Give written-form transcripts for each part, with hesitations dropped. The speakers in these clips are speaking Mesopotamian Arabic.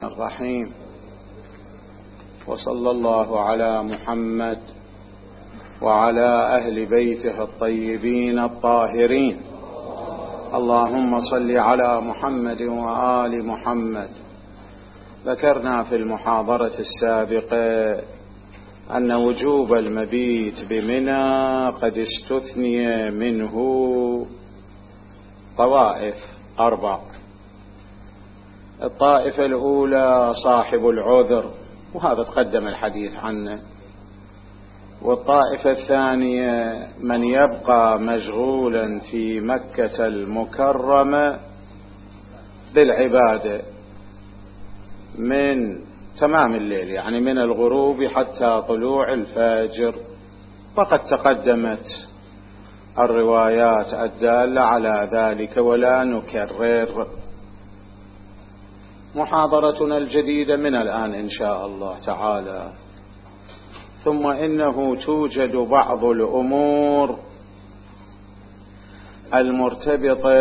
الرحيم. وصلى الله على محمد وعلى أهل بيته الطيبين الطاهرين. اللهم صل على محمد وآل محمد. ذكرنا في المحاضرة السابقة أن وجوب المبيت بمنى قد استثني منه طوائف 4. الطائفة الأولى صاحب العذر، وهذا تقدم الحديث عنه. والطائفة الثانية من يبقى مشغولا في مكة المكرمة بالعبادة من تمام الليل، يعني من الغروب حتى طلوع الفجر. وقد تقدمت الروايات الدالة على ذلك ولا نكرر. محاضرتنا الجديدة من الآن إن شاء الله تعالى. ثم إنه توجد بعض الأمور المرتبطة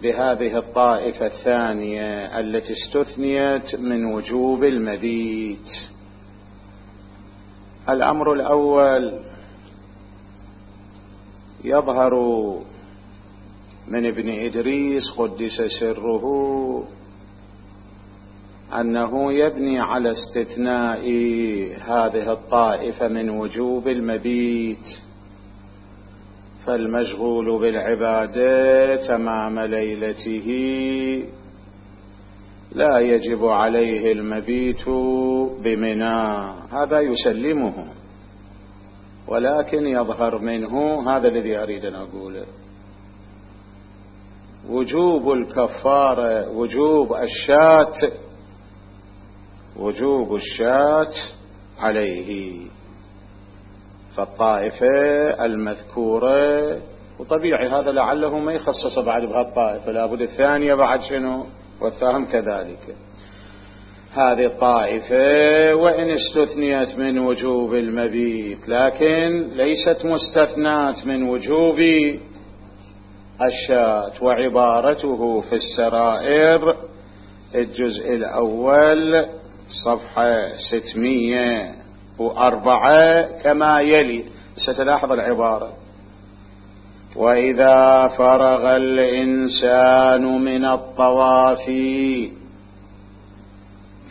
بهذه الطائفة الثانية التي استثنيت من وجوب المبيت. الأمر الأول يظهر من ابن إدريس قدس سره أنه يبني على استثناء هذه الطائفة من وجوب المبيت، فالمشغول بالعبادة تمام ليلته لا يجب عليه المبيت بمنى، هذا يسلمه. ولكن يظهر منه هذا الذي أريد أن أقوله: وجوب الكفارة، وجوب الشاة عليه. فالطائفة المذكورة، وطبيعي هذا لعله ما يخصص بعد بهالطائفة، لابد الثانية بعد شنو، والثام كذلك. هذه الطائفة وإن استثنيت من وجوب المبيت لكن ليست مستثنات من وجوب الشاة. وعبارته في السرائر الجزء الأول صفحة 604 كما يلي. ستلاحظ العبارة: وإذا فرغ الإنسان من الطواف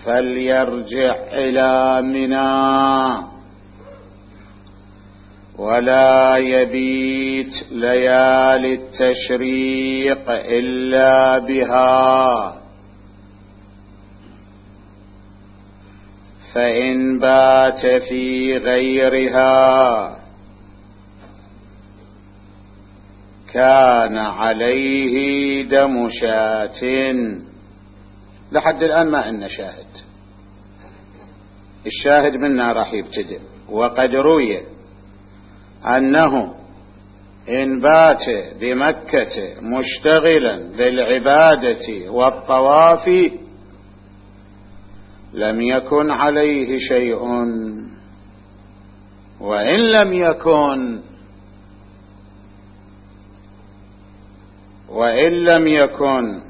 فليرجع إلى منى ولا يبيت ليالي التشريق إلا بها، فإن بات في غيرها كان عليه دم شاة. لحد الآن ما إن شاهد، الشاهد منا راح يبتدئ. وقد روي أنه إن بات بمكة مشتغلا بالعبادة والطواف لم يكن عليه شيء، وإن لم يكن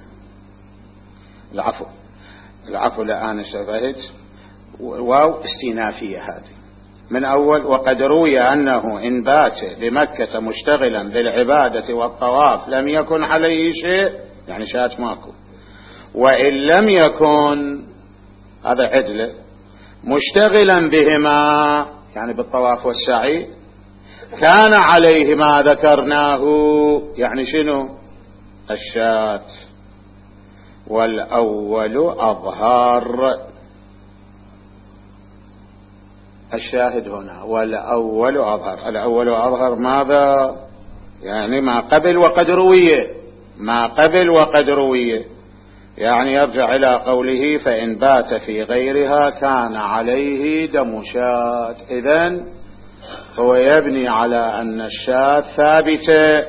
العفو الآن اشتبهت، واو استئنافية هذه من أول. وقد روي أنه إن بات بمكة مشتغلا بالعبادة والطواف لم يكن عليه شيء، يعني شات ماكو. وإن لم يكن، هذا عدله، مشتغلا بهما يعني بالطواف والسعي، كان عليه ما ذكرناه، يعني شنو، الشات. والأول أظهر. الشاهد هنا والأول أظهر. الأول أظهر ماذا؟ يعني ما قبل وقد روي، يعني يرجع إلى قوله فإن بات في غيرها كان عليه دم شاة. إذن هو يبني على أن الشاة ثابتة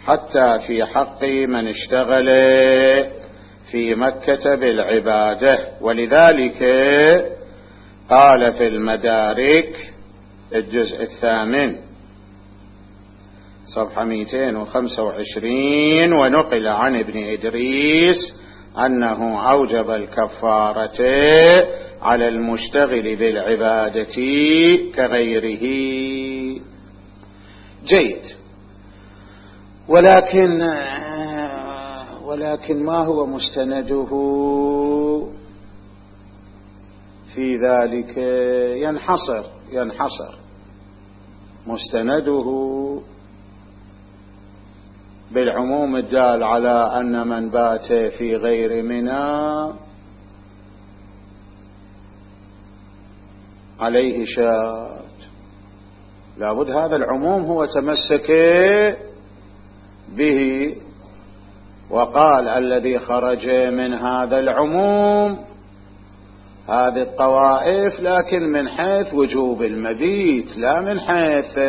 حتى في حق من اشتغل في مكة بالعبادة. ولذلك قال في المدارك الجزء 8 صفحة 225: ونقل عن ابن إدريس أنه أوجب الكفارة على المشتغل بالعبادة كغيره. جيد. ولكن ما هو مستنده في ذلك؟ ينحصر مستنده بالعموم الدال على أن من بات في غير منى عليه شاة. لابد هذا العموم هو تمسك به وقال الذي خرج من هذا العموم هذه الطوائف، لكن من حيث وجوب المبيت لا من حيث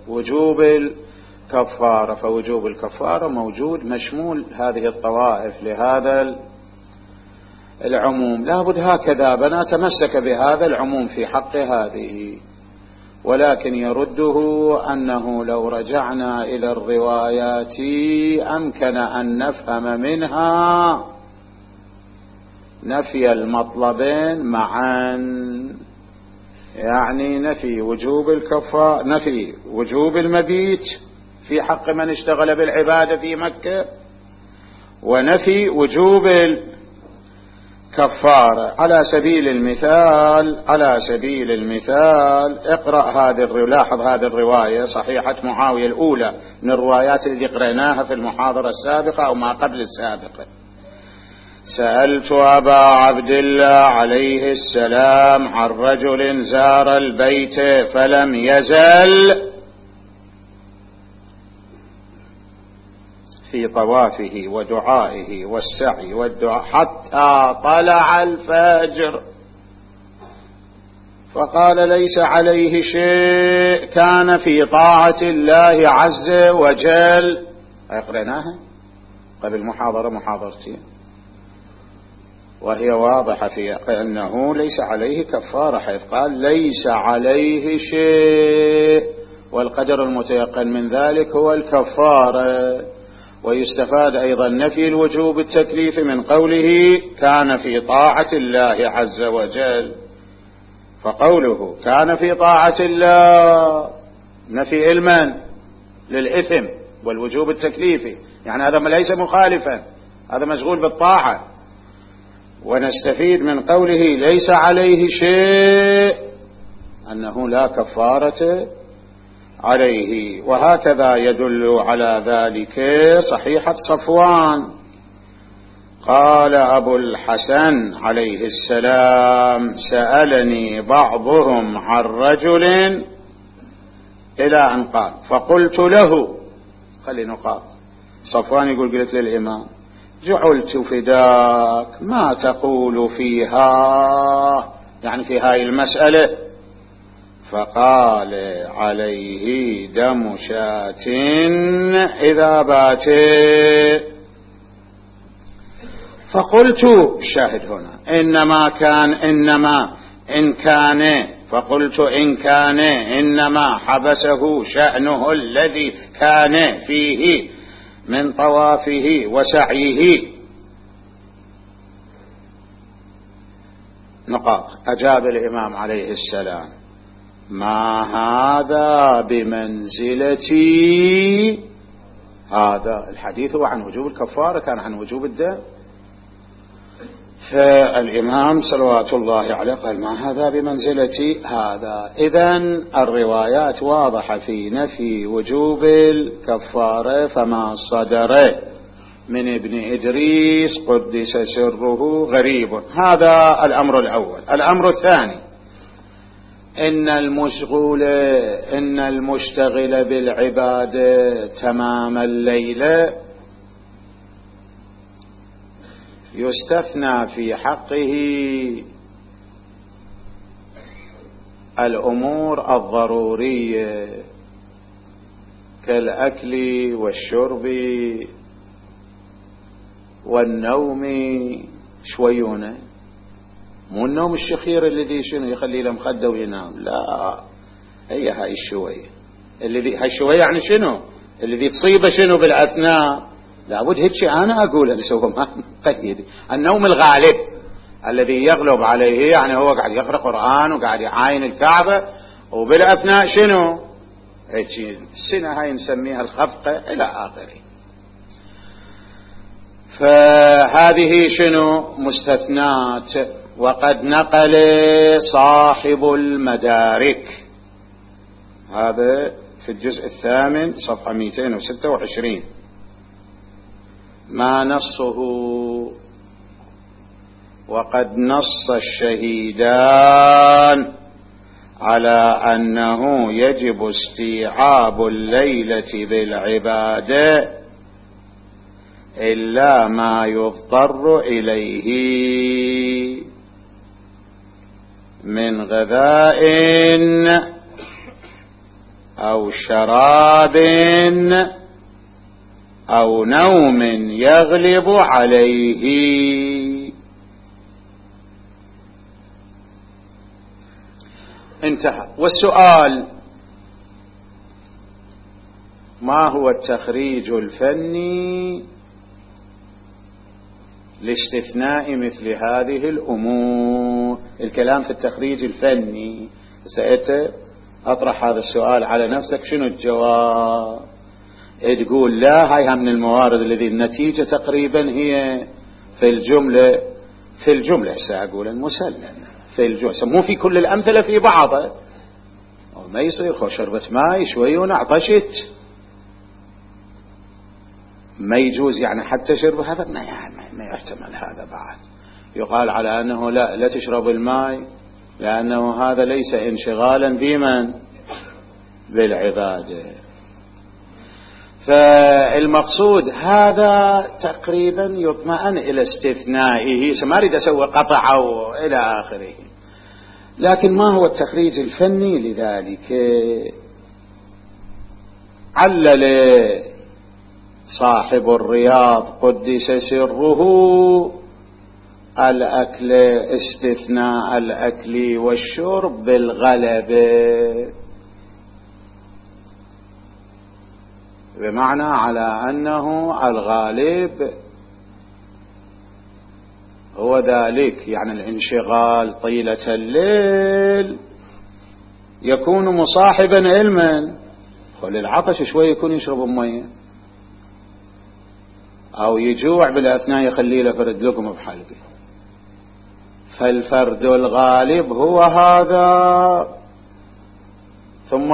وجوب الكفارة، فوجوب الكفارة موجود مشمول هذه الطوائف لهذا العموم. لابد هكذا بنا تمسك بهذا العموم في حق هذه. ولكن يرده أنه لو رجعنا إلى الروايات أمكن أن نفهم منها نفي المطلبين معا، يعني نفي وجوب الكفارة، نفي وجوب المبيت في حق من اشتغل بالعبادة في مكة، ونفي وجوب الكفارة. على سبيل المثال اقرأ لاحظ هذه الرواية صحيحة معاوية الأولى من الروايات التي قرأناها في المحاضرة السابقة أو ما قبل السابقة. سألت أبا عبد الله عليه السلام عن رجل زار البيت فلم يزل في طوافه ودعائه والسعي والدعاء حتى طلع الفجر، فقال ليس عليه شيء، كان في طاعة الله عز وجل. قرأناها قبل محاضرتين وهي واضحة في أنه ليس عليه كفارة، حيث قال ليس عليه شيء، والقدر المتيقن من ذلك هو الكفارة. ويستفاد أيضا نفي الوجوب التكليف من قوله كان في طاعة الله عز وجل، فقوله كان في طاعة الله نفي علما للإثم والوجوب التكليفي، يعني هذا ليس مخالفا، هذا مشغول بالطاعة. ونستفيد من قوله ليس عليه شيء أنه لا كفارة عليه. وهكذا يدل على ذلك صحيحة صفوان، قال أبو الحسن عليه السلام سألني بعضهم عن رجل إلى أن قال فقلت له، خلي نقاط. صفوان يقول قلت للإمام جعلت فداك ما تقول فيها، يعني في هاي المسألة. فقال عليه دم شاة إذا بات. فقلت شاهد هنا فقلت إن كان إنما حبسه شأنه الذي كان فيه من طوافه وسعيه. نقاط. أجاب الإمام عليه السلام ما هذا بمنزلتي، هذا الحديث هو عن وجوب الكفارة، كان عن وجوب الدم. فالإمام صلوات الله عليه قال ما هذا بمنزلتي هذا. إذن الروايات واضحة في نفي وجوب الكفارة، فما صدر من ابن إدريس قدس سره غريب. هذا الأمر الأول. الأمر الثاني إن المشتغل بالعبادة تمام الليل يستثنى في حقه الأمور الضرورية كالأكل والشرب والنوم. شويونه مو النوم الشخير الذي شنو يخلي له مخده وينام، لا، هي هاي الشوية هاي الشوية يعني شنو الذي تصيبه شنو بالأثناء لابد هيك أنا أقول هو ما مقيد. النوم الغالب الذي يغلب عليه، يعني هو قاعد يقرأ قرآن وقاعد يعاين الكعبة وبالأثناء شنو هيك السنة هاي نسميها الخفقة إلى آخره. فهذه شنو مستثنات. وقد نقل صاحب المدارك، هذا في الجزء الثامن صفحة 226، ما نصه: وقد نص الشهيدان على أنه يجب استيعاب الليلة بالعبادة إلا ما يضطر إليه من غذاء أو شراب أو نوم يغلب عليه. انتهى. والسؤال: ما هو التخريج الفني لاستثناء مثل هذه الأمور؟ الكلام في التخريج الفني. سأطرح هذا السؤال على نفسك، شنو الجواب؟ تقول لا، هاي من الموارد الذي النتيجة تقريبا هي في الجملة سأقول المسلم في الجملة، مو في كل الأمثلة، في بعضها. ما يصير خو شربت ماي شوي ونعطشت، ما يجوز يعني حتى شرب هذا ما يحتمل. هذا بعد يقال على أنه لا تشرب الماء، لأنه هذا ليس انشغالا بمن بالعبادة. فالمقصود هذا تقريبا يطمئن إلى استثنائه، ما أريد أسوي قطع أو إلى آخره. لكن ما هو التخريج الفني لذلك؟ علل صاحب الرياض قدس سره الأكل، استثناء الأكل والشرب بالغلبة، بمعنى على أنه الغالب هو ذلك، يعني الانشغال طيلة الليل يكون مصاحبا علما، وللعطش شوي يكون يشرب مية، أو يجوع بالأثناء يخلي له فرد لقمة بحلقه. فالفرد الغالب هو هذا. ثم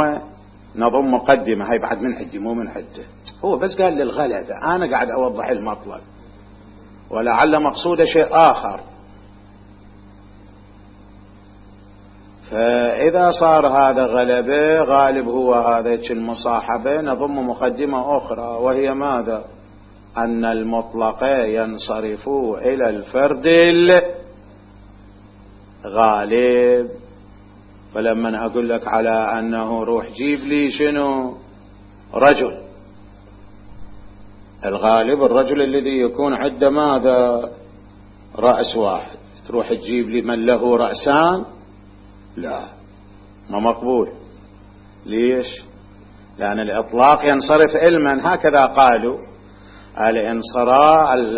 نضم مقدمة، هاي بعد من عدي مو من عده، هو بس قال للغلبة، أنا قاعد أوضح المطلب ولعل مقصود شيء آخر. فإذا صار هذا غلبة غالب هو هذا المصاحبة، نضم مقدمة أخرى وهي ماذا؟ أن المطلق ينصرف إلى الفرد الغالب. فلما أقول لك على أنه روح جيب لي شنو رجل، الغالب الرجل الذي يكون عنده ماذا؟ رأس واحد. تروح تجيب لي من له رأسان؟ لا، ما مقبول. ليش؟ لأن الإطلاق ينصرف علما، هكذا قالوا،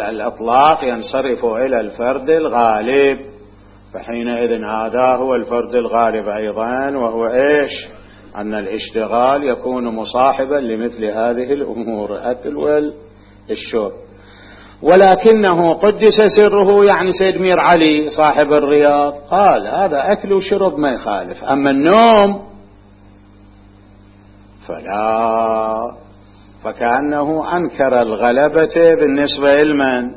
الإطلاق ينصرف إلى الفرد الغالب، فحينئذ هذا هو الفرد الغالب أيضا، وهو إيش؟ أن الاشتغال يكون مصاحبا لمثل هذه الأمور، الأكل والشرب. ولكنه قدس سره، يعني سيد مير علي صاحب الرياض قال هذا أكل وشرب ما يخالف، أما النوم فلا. فكأنه أنكر الغلبة بالنسبة لمن؟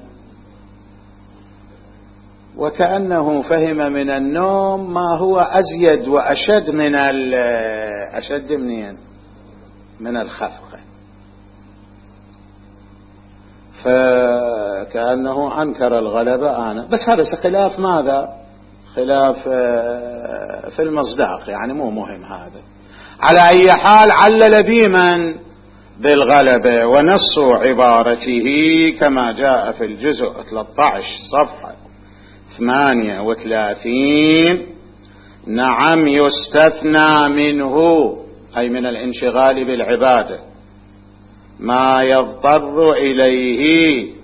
وكأنه فهم من النوم ما هو أزيد وأشد من أشد من الخفقة. فكأنه أنكر الغلبة أنا بس. هذا خلاف ماذا؟ خلاف في المصداق، يعني مو مهم هذا. على أي حال علل بمن؟ بالغلبة. ونص عبارته كما جاء في الجزء 13 صفحة 38: نعم يستثنى منه، أي من الانشغال بالعبادة، ما يضطر إليه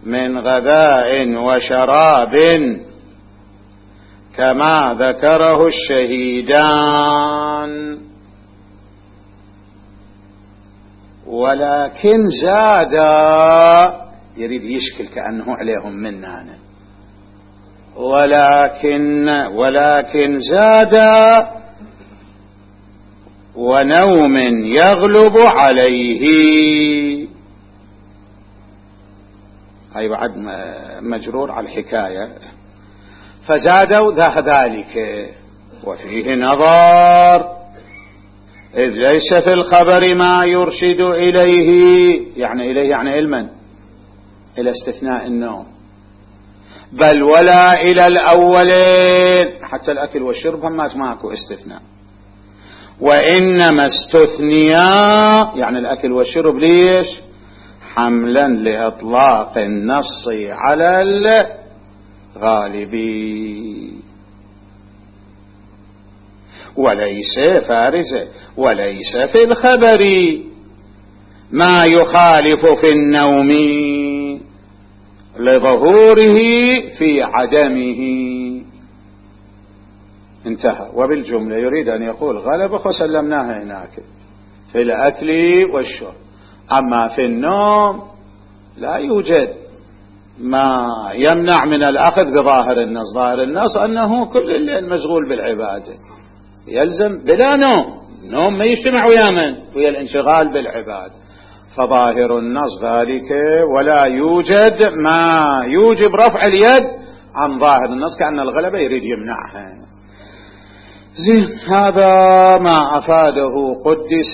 من غذاء وشراب كما ذكره الشهيدان. ولكن زاد، يريد يشكل كأنه عليهم مننا، ولكن زاد ونوم يغلب عليه. هاي بعد مجرور على الحكاية. فزادوا ذلك وفيه نظر، إذ ليس في الخبر ما يرشد إليه، يعني علما، إلى استثناء النوم، بل ولا إلى الأولين، حتى الأكل والشرب هم ماكو استثناء، وإنما استثنيا، يعني الأكل والشرب ليش؟ حملا لإطلاق النص على الغالب، وليس فارزة، وليس في الخبر ما يخالف في النوم لظهوره في عدمه. انتهى. وبالجملة يريد أن يقول غلبة وسلمناها هناك في الأكل والشرب، أما في النوم لا يوجد ما يمنع من الأخذ بظاهر النص. ظاهر النص أنه كل الليل مشغول بالعبادة، يلزم بلا نوم ما يجتمع ويا من؟ ويا الانشغال بالعبادة. فظاهر النص ذلك، ولا يوجد ما يوجب رفع اليد عن ظاهر النص، كأن الغلبة يريد يمنعها. زين، هذا ما أفاده قدس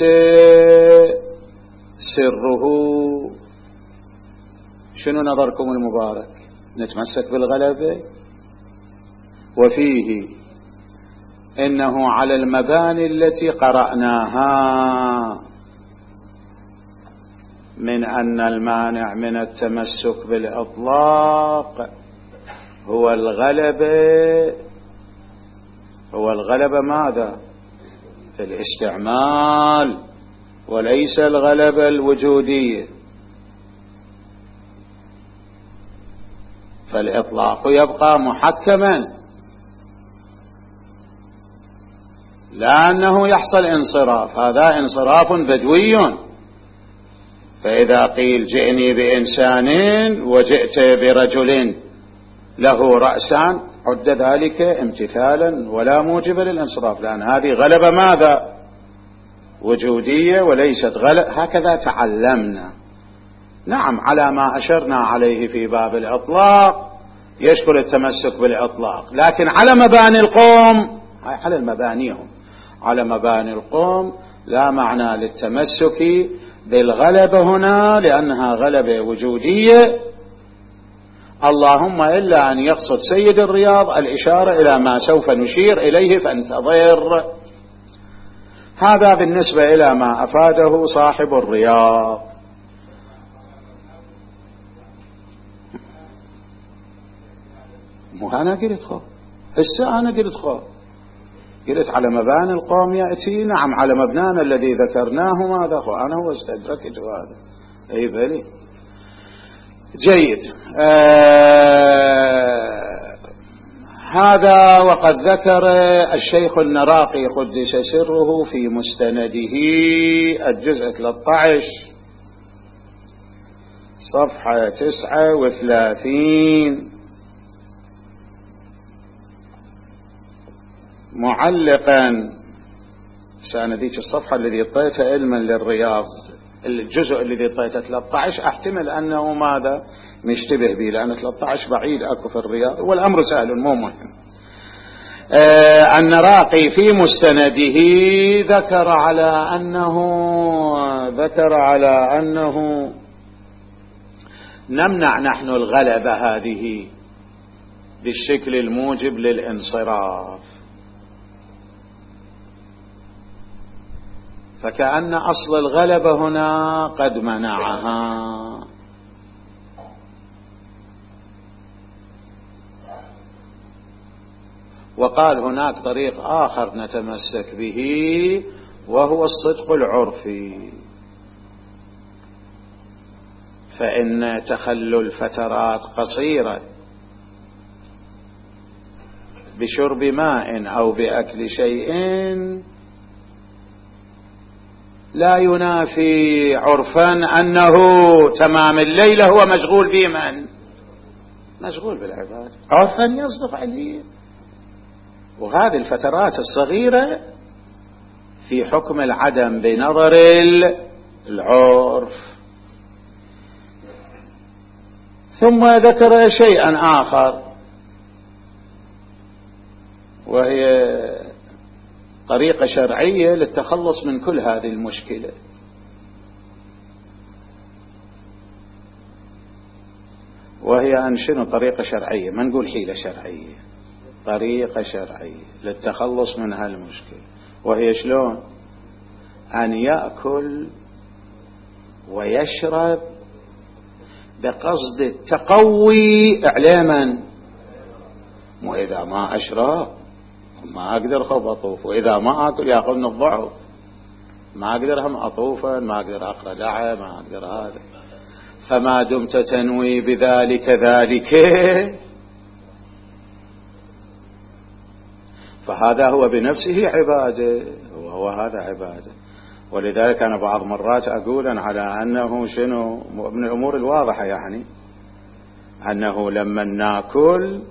سره. شنو نظركم المبارك؟ نتمسك بالغلبة؟ وفيه إنه على المباني التي قرأناها من أن المانع من التمسك بالإطلاق هو الغلبة ماذا؟ في الاستعمال، وليس الغلبة الوجودية. فالإطلاق يبقى محكما، لا أنه يحصل انصراف، هذا انصراف بدوي. فإذا قيل جئني بإنسان وجئت برجل له رأسان، عد ذلك امتثالا ولا موجب للانصراف، لأن هذه غلبة ماذا؟ وجودية، وليست غلبة. هكذا تعلمنا. نعم، على ما أشرنا عليه في باب الإطلاق يشكل التمسك بالإطلاق، لكن على مباني القوم، على المبانيهم، على مباني القوم لا معنى للتمسك بالغلبة هنا، لأنها غلبة وجودية، اللهم إلا أن يقصد سيد الرياض الإشارة إلى ما سوف نشير إليه فانتظر. هذا بالنسبة إلى ما أفاده صاحب الرياض. مو أنا قلت خو، هسه أنا قلت خو، قلت على مباني القوم يأتي. نعم، على مبنانا الذي ذكرناه ماذا خو، أنا هو استدركت هذا. أي بلي، جيد. هذا وقد ذكر الشيخ النراقي قدس سره في مستنده الجزء 13 صفحة 39 معلقا، سانديك الصفحة الذي اطيتها علما للرياض، الجزء الذي اطيته 13 احتمل أنه ماذا مشتبه به، لأن 13 بعيد أكو في الرياض، والأمر سهل مو مهم. النراقي في مستنده ذكر على أنه نمنع نحن الغلبة هذه بالشكل الموجب للانصراف، فكأن أصل الغلبة هنا قد منعها. وقال هناك طريق آخر نتمسك به، وهو الصدق العرفي. فإن تخلل فترات قصيرة بشرب ماء أو بأكل شيء لا ينافي عرفا أنه تمام الليلة هو مشغول بمن؟ مشغول بالعبادة. عرفا يصدق عليه. وهذه الفترات الصغيرة في حكم العدم بنظر العرف. ثم ذكر شيئا آخر وهي طريقة شرعية للتخلص من كل هذه المشكلة، وهي أن شنو طريقة شرعية، ما نقول حيلة شرعية، طريقة شرعية للتخلص من هالمشكلة. وهي شلون؟ أن يأكل ويشرب بقصد التقوي إعلاما. وإذا ما أشرب ما أقدر خب أطوف، وإذا ما أكل يأخذني الضعف، ما أقدر هم أطوفا، ما أقدر أقرأ دعاء، ما أقدر هذا. فما دمت تنوي بذلك ذلك فهذا هو بنفسه عبادة، وهو هذا عبادة. ولذلك أنا بعض مرات أقول على أنه شنو من الأمور الواضحة، يعني أنه لما ناكل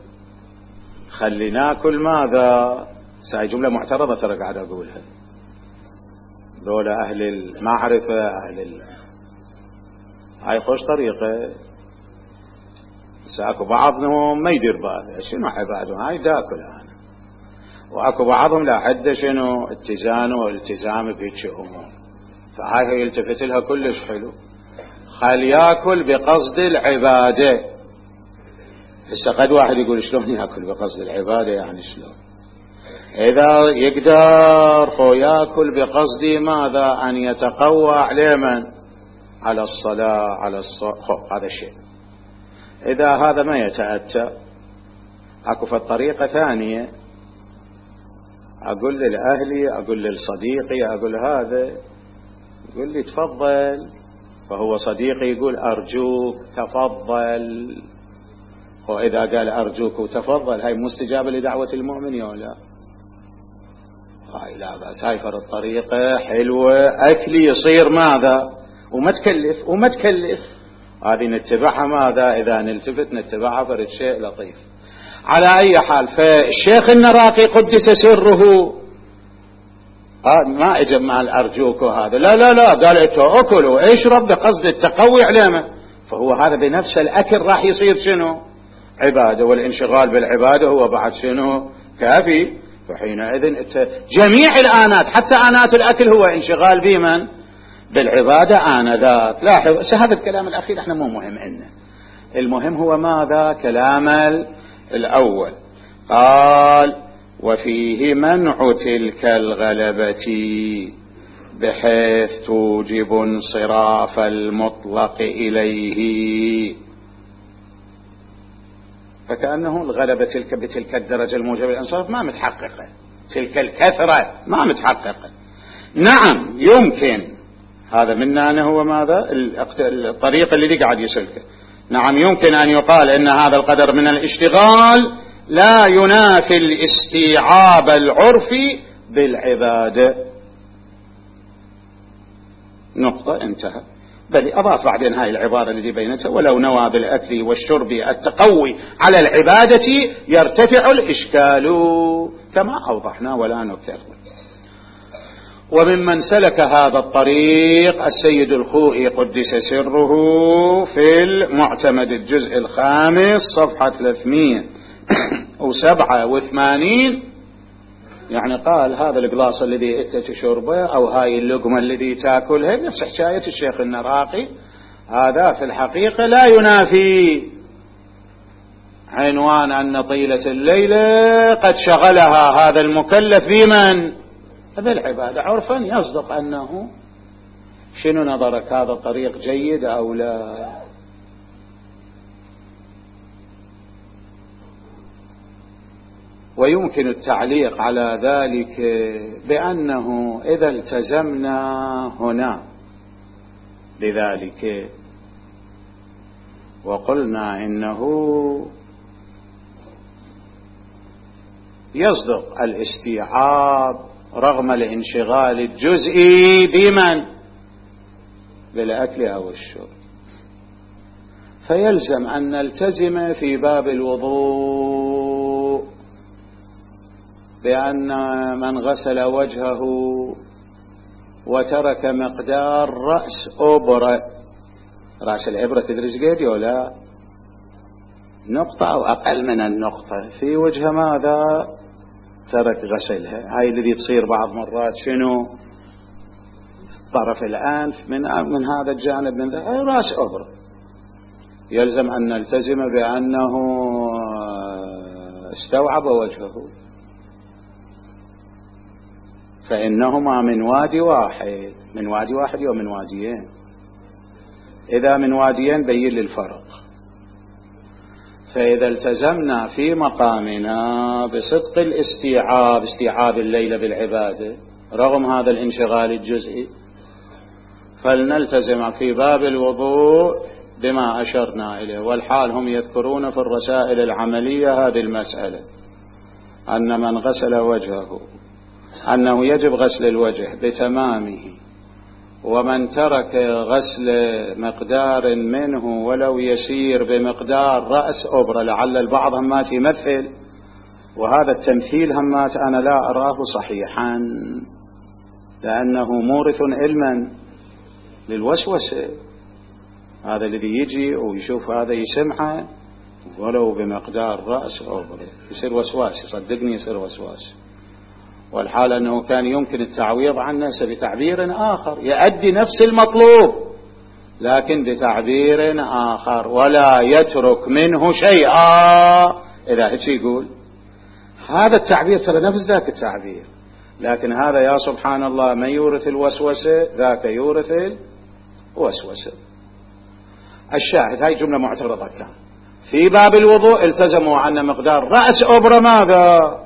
خلي ناكل ماذا؟ ساي جملة معترضة ترى قاعد أقولها، دولة أهل المعرفة هاي خوش طريقة. ساكو بعضهم ما يدير باله شنو عبادهم، هاي داكل أنا، وأكو بعضهم لا عدة شنو اتزان والتزام بهيك أمور، فهاي يلتفت لها كلش حلو. خل ياكل بقصد العبادة. هسه قد واحد يقول شلون ياكل بقصد العبادة، يعني شلون؟ إذا يقدر هو ياكل بقصد ماذا؟ أن يتقوى على من؟ على الصلاة، على هذا شيء. إذا هذا ما يتأتى أكو في الطريقة ثانية، أقول لأهلي، أقول لصديقي، أقول هذا، يقول لي تفضل، فهو صديقي يقول أرجوك تفضل، وإذا قال أرجوك وتفضل هاي مستجابة لدعوة المؤمن يا لا؟ هاي لا بس، هاي فرض طريقة حلوة، أكلي يصير ماذا؟ وما تكلف هذه نتبعها ماذا؟ إذا نلتفت نتبعها فرد شيء لطيف. على أي حال، فالشيخ النراقي قدس سره ما اجمع الأرجوك وهذا، لا لا لا، قال أكل واشرب بقصد التقوي علامة، فهو هذا بنفس الأكل راح يصير شنو؟ عبادة، والانشغال بالعبادة هو بعد شنو؟ كافي. فحينئذ جميع الآنات حتى آنات الأكل هو انشغال بمن؟ بالعبادة آنذاك. لاحظ هذا الكلام الأخير احنا مو مهم إنه، المهم هو ماذا؟ كلام الأول. قال وفيه منع تلك الغلبة بحيث توجب انصراف المطلق إليه. فكأنه الغلبة بتلك الدرجة الموجبة للانصراف ما متحققة، تلك الكثرة ما متحققة. نعم يمكن، هذا منا أنه هو ماذا؟ الطريق الذي قاعد يسلكه. نعم يمكن أن يقال إن هذا القدر من الاشتغال لا ينافي الاستيعاب العرفي بالعبادة. نقطة، انتهى. بل أضاف بعدين هاي العبارة التي بينتها ولو نوى بالأكل والشرب التقوي على العبادة يرتفع الإشكال، كما أوضحنا ولا نكرر. وممن سلك هذا الطريق السيد الخوئي قدس سره في المعتمد الجزء 5 صفحة 387، يعني قال هذا القلاص الذي انت تشربه او هاي اللقمة الذي تاكلها نفس حكاية الشيخ النراقي، هذا في الحقيقة لا ينافي عنوان أن طيلة الليلة قد شغلها هذا المكلف بمن؟ بالعبادة. عرفا يصدق أنه شنو نظرك، هذا الطريق جيد أو لا؟ ويمكن التعليق على ذلك بأنه إذا التزمنا هنا بذلك وقلنا إنه يصدق الاستيعاب رغم الانشغال الجزئي بمن؟ بالأكل أو الشرب. فيلزم أن نلتزم في باب الوضوء بأن من غسل وجهه وترك مقدار رأس إبرة، رأس الإبرة تدري قد ولا نقطة أو أقل من النقطة في وجه ماذا؟ ترك غسلها. هاي الذي تصير بعض مرات شنو؟ طرف الأنف من هذا الجانب من ذا رأس إبرة. يلزم أن نلتزم بأنه استوعب وجهه، فإنهما من وادي واحد. من وادي واحد ومن واديين. إذا من واديين بين للفرق. فإذا التزمنا في مقامنا بصدق الاستيعاب، استيعاب الليل بالعبادة رغم هذا الانشغال الجزئي، فلنلتزم في باب الوضوء بما أشرنا إليه. والحال هم يذكرون في الرسائل العملية هذه المسألة، أن من غسل وجهه أنه يجب غسل الوجه بتمامه، ومن ترك غسل مقدار منه ولو يسير بمقدار رأس أبرة. لعل البعض همات يمثل، وهذا التمثيل همات أنا لا أراه صحيحا، لأنه مورث علما للوسوسة. هذا الذي يجي ويشوف هذا يسمعه ولو بمقدار رأس أبرة يصير وسواس، صدقني يصير وسواس. والحال أنه كان يمكن التعويض عن نفسه بتعبير آخر يؤدي نفس المطلوب لكن بتعبير آخر، ولا يترك منه شيئا. إذا هيك يقول هذا التعبير ترى نفس ذاك التعبير، لكن هذا يا سبحان الله من يورث الوسوسة ذاك يورث الوسوسة. الشاهد هاي جملة معترضة. كان في باب الوضوء التزموا أن مقدار رأس أبرة ماذا؟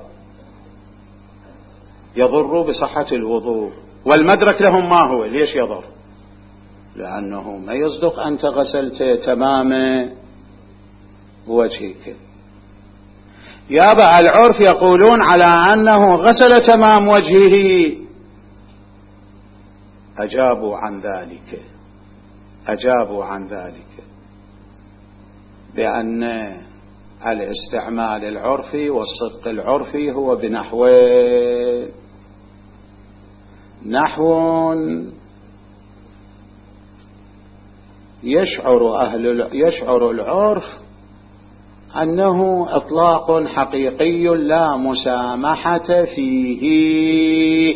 يضر بصحة الوضوء. والمدرك لهم ما هو؟ ليش يضر؟ لأنه ما يصدق أنت غسلت تمام وجهك. يابا العرف يقولون على أنه غسل تمام وجهه. أجابوا عن ذلك بأن الاستعمال العرفي والصدق العرفي هو بنحوين. نحو يشعر العرف أنه إطلاق حقيقي لا مسامحة فيه،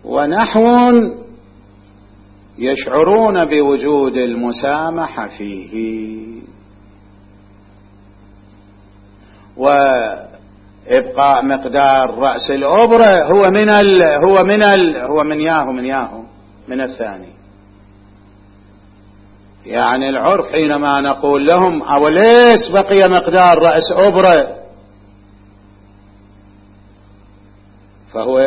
ونحو يشعرون بوجود المسامحة فيه. وإبقاء مقدار رأس الأبرة هو من الثاني. يعني العرف حينما نقول لهم أوليس بقي مقدار رأس أبرة، فهو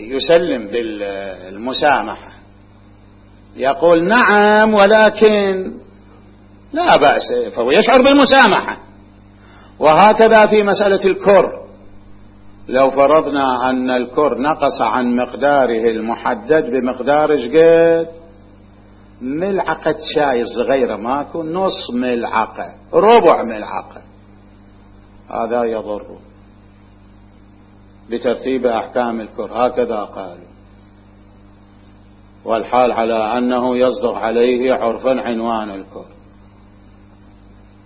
يسلم بالمسامحة، يقول نعم ولكن لا بأس، فهو يشعر بالمسامحة. وهكذا في مسألة الكر، لو فرضنا أن الكر نقص عن مقداره المحدد بمقدار قد ملعقة شاي صغيرة، ماكو نص ملعقة ربع ملعقة، هذا يضر بترتيب أحكام الكر. هكذا قالوا. والحال على أنه يصدق عليه عرفا عنوان الكر.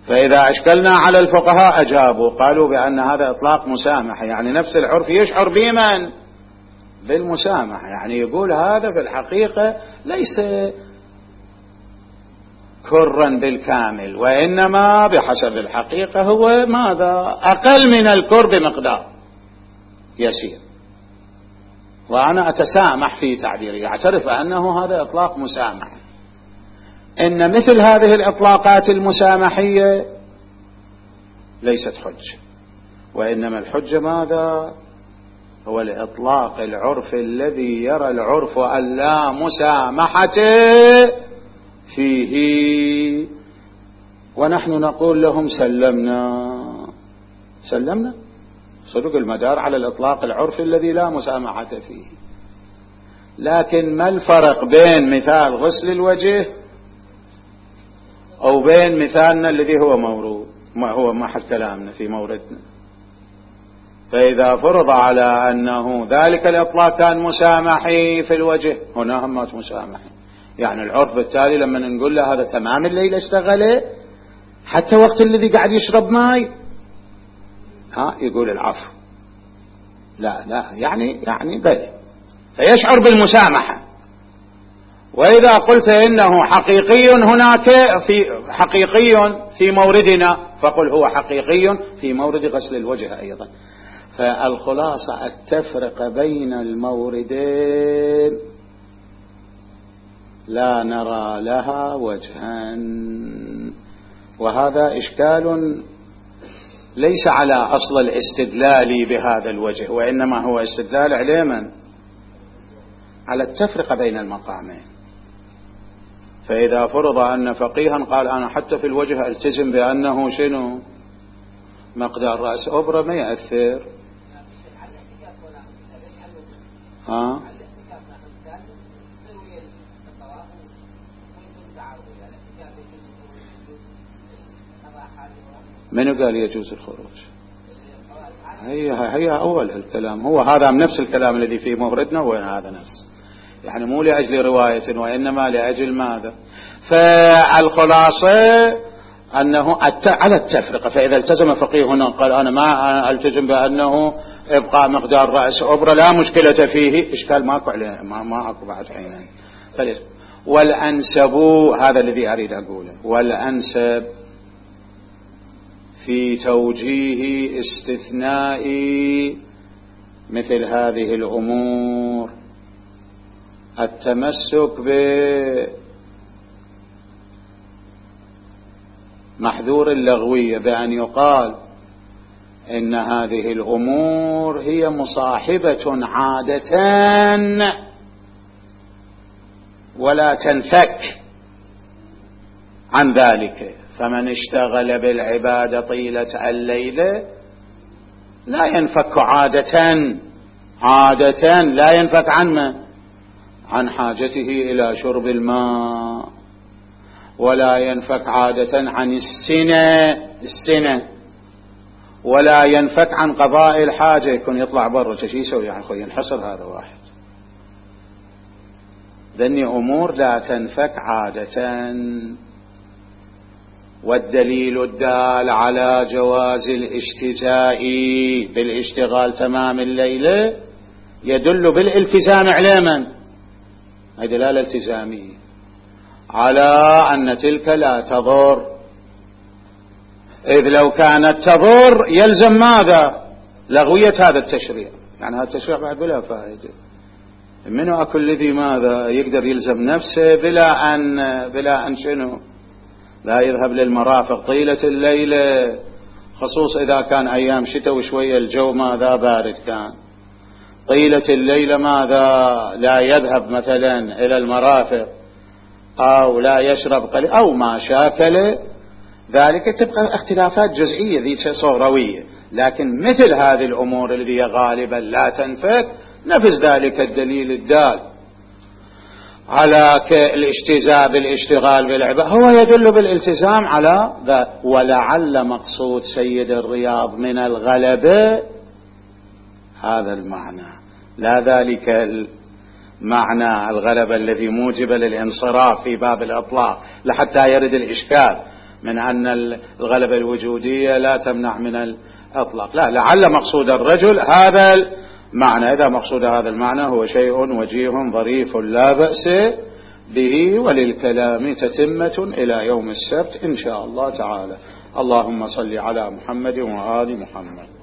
فإذا أشكلنا على الفقهاء أجابوا قالوا بأن هذا إطلاق مسامحة، يعني نفس العرف يشعر بمن؟ بالمسامحة. يعني يقول هذا في الحقيقة ليس كرا بالكامل، وإنما بحسب الحقيقة هو ماذا؟ أقل من الكر بمقدار يسير، وأنا أتسامح في تعبيري، أعترف أنه هذا إطلاق مسامحة. إن مثل هذه الإطلاقات المسامحية ليست حجة، وإنما الحجة ماذا؟ هو الإطلاق العرف الذي يرى العرف أن لا مسامحة فيه ونحن نقول لهم سلمنا. صدق المدار على الإطلاق العرفي الذي لا مسامحة فيه. لكن ما الفرق بين مثال غسل الوجه أو بين مثالنا الذي هو مورود، ما هو محل كلامنا في موردنا؟ فإذا فرض على أنه ذلك الإطلاق كان مسامحي في الوجه، هنا هم مسامحي، يعني العرف بالتالي لما نقول له هذا تمام الليل اشتغله حتى وقت الذي قاعد يشرب ماي، يقول العفو، لا يعني بل فيشعر بالمسامحة. وإذا قلت إنه حقيقي هناك حقيقي في موردنا، فقل هو حقيقي في مورد غسل الوجه أيضا. فالخلاصة التفرقة بين الموردين لا نرى لها وجها، وهذا إشكال ليس على أصل الاستدلال بهذا الوجه، وإنما هو استدلال على من؟ على التفرقة بين المقامين. فإذا فرض أن فقيها قال أنا حتى في الوجه ألتزم بأنه شنو مقدار رأس أبرة ما يأثر، من قال يجوز الخروج؟ هي أول الكلام، هو هذا نفس الكلام الذي في موردنا، وهذا نفس، يعني مو لأجل رواية وإنما لأجل ماذا؟ فالخلاصة أنه على التفرقة. فإذا التزم فقيه هنا قال أنا ما ألتزم بأنه إبقاء مقدار رأس أبرة لا مشكلة فيه، إشكال ماكو عليه، ما أكو بعد حينين. والأنسب، هذا الذي أريد أقوله، والأنسب في توجيه استثناء مثل هذه الأمور التمسك بمحذور اللغوية، بأن يقال إن هذه الأمور هي مصاحبة عادة ولا تنفك عن ذلك، فمن اشتغل بالعبادة طيلة الليل لا ينفك عادة لا ينفك عن حاجته إلى شرب الماء، ولا ينفك عادة عن السنة، ولا ينفك عن قضاء الحاجة، يكون يطلع برا شو يسوي يعني أخوي ينحصر هذا واحد. ذني أمور لا تنفك عادة. والدليل الدال على جواز الاجتزاء بالاشتغال تمام الليل يدل بالالتزام على من؟ هذه دلالة التزامية على أن تلك لا تضر، إذ لو كانت تضر يلزم ماذا؟ لغوية هذا التشريع، يعني هذا التشريع بعد بلا فائدة. منه أكل الذي ماذا يقدر يلزم نفسه بلا أن شنو لا يذهب للمرافق طيلة الليل، خصوص إذا كان أيام شتاء وشوية الجو ماذا بارد كان، طيلة الليل ماذا لا يذهب مثلا إلى المرافق أو لا يشرب قليل أو ما شاكل ذلك، تبقى اختلافات جزئية ذي صوروية. لكن مثل هذه الأمور التي غالبا لا تنفك نفذ ذلك الدليل الدال على الاجتزاء بالاشتغال بالعبادة هو يدل بالالتزام على ذا. ولعل مقصود سيد الرياض من الغلبة هذا المعنى، لا ذلك المعنى الغلبة الذي موجب للانصراف في باب الإطلاق، لحتى يرد الإشكال من أن الغلبة الوجودية لا تمنع من الإطلاق. لا، لعل مقصود الرجل هذا المعنى. إذا مقصود هذا المعنى هو شيء وجيه ظريف لا بأس به، وللكلام تتمة إلى يوم السبت إن شاء الله تعالى. اللهم صل على محمد وآل محمد.